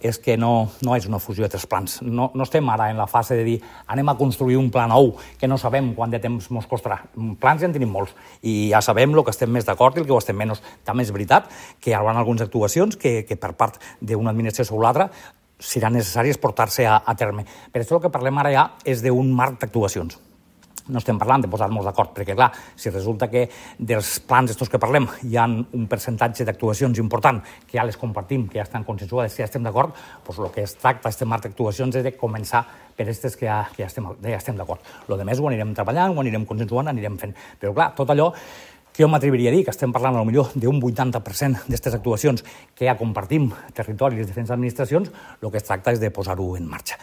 és que no és una fusió de 3 plans. No estem ara en la fase de dir anem a construir un pla nou que no sabem quant de temps ens costarà. Plans ja en tenim molts i ja sabem el que estem més d'acord i el que ho estem menys. També és veritat que hi haurà algunes actuacions que per part d'una administració sobre l'altra seran necessàries portar-se a terme. Per això el que parlem ara ja és d'un marc d'actuacions. No estem parlant de posar-nos d'acord, perquè clar, si resulta que dels plans estos que parlem hi ha un percentatge d'actuacions important que ja les compartim, que ja estan consensuades, que ja estem d'acord, doncs el que es tracta, aquest marc d'actuacions, és de començar per aquestes que ja estem d'acord. El que més ho anirem treballant, ho anirem consensuant, anirem fent. Però clar, tot allò que jo m'atreviria a dir que estem parlant potser d'un 80% d'aquestes actuacions que ja compartim territori i les diferents administracions, el que es tracta és de posar-ho en marxa.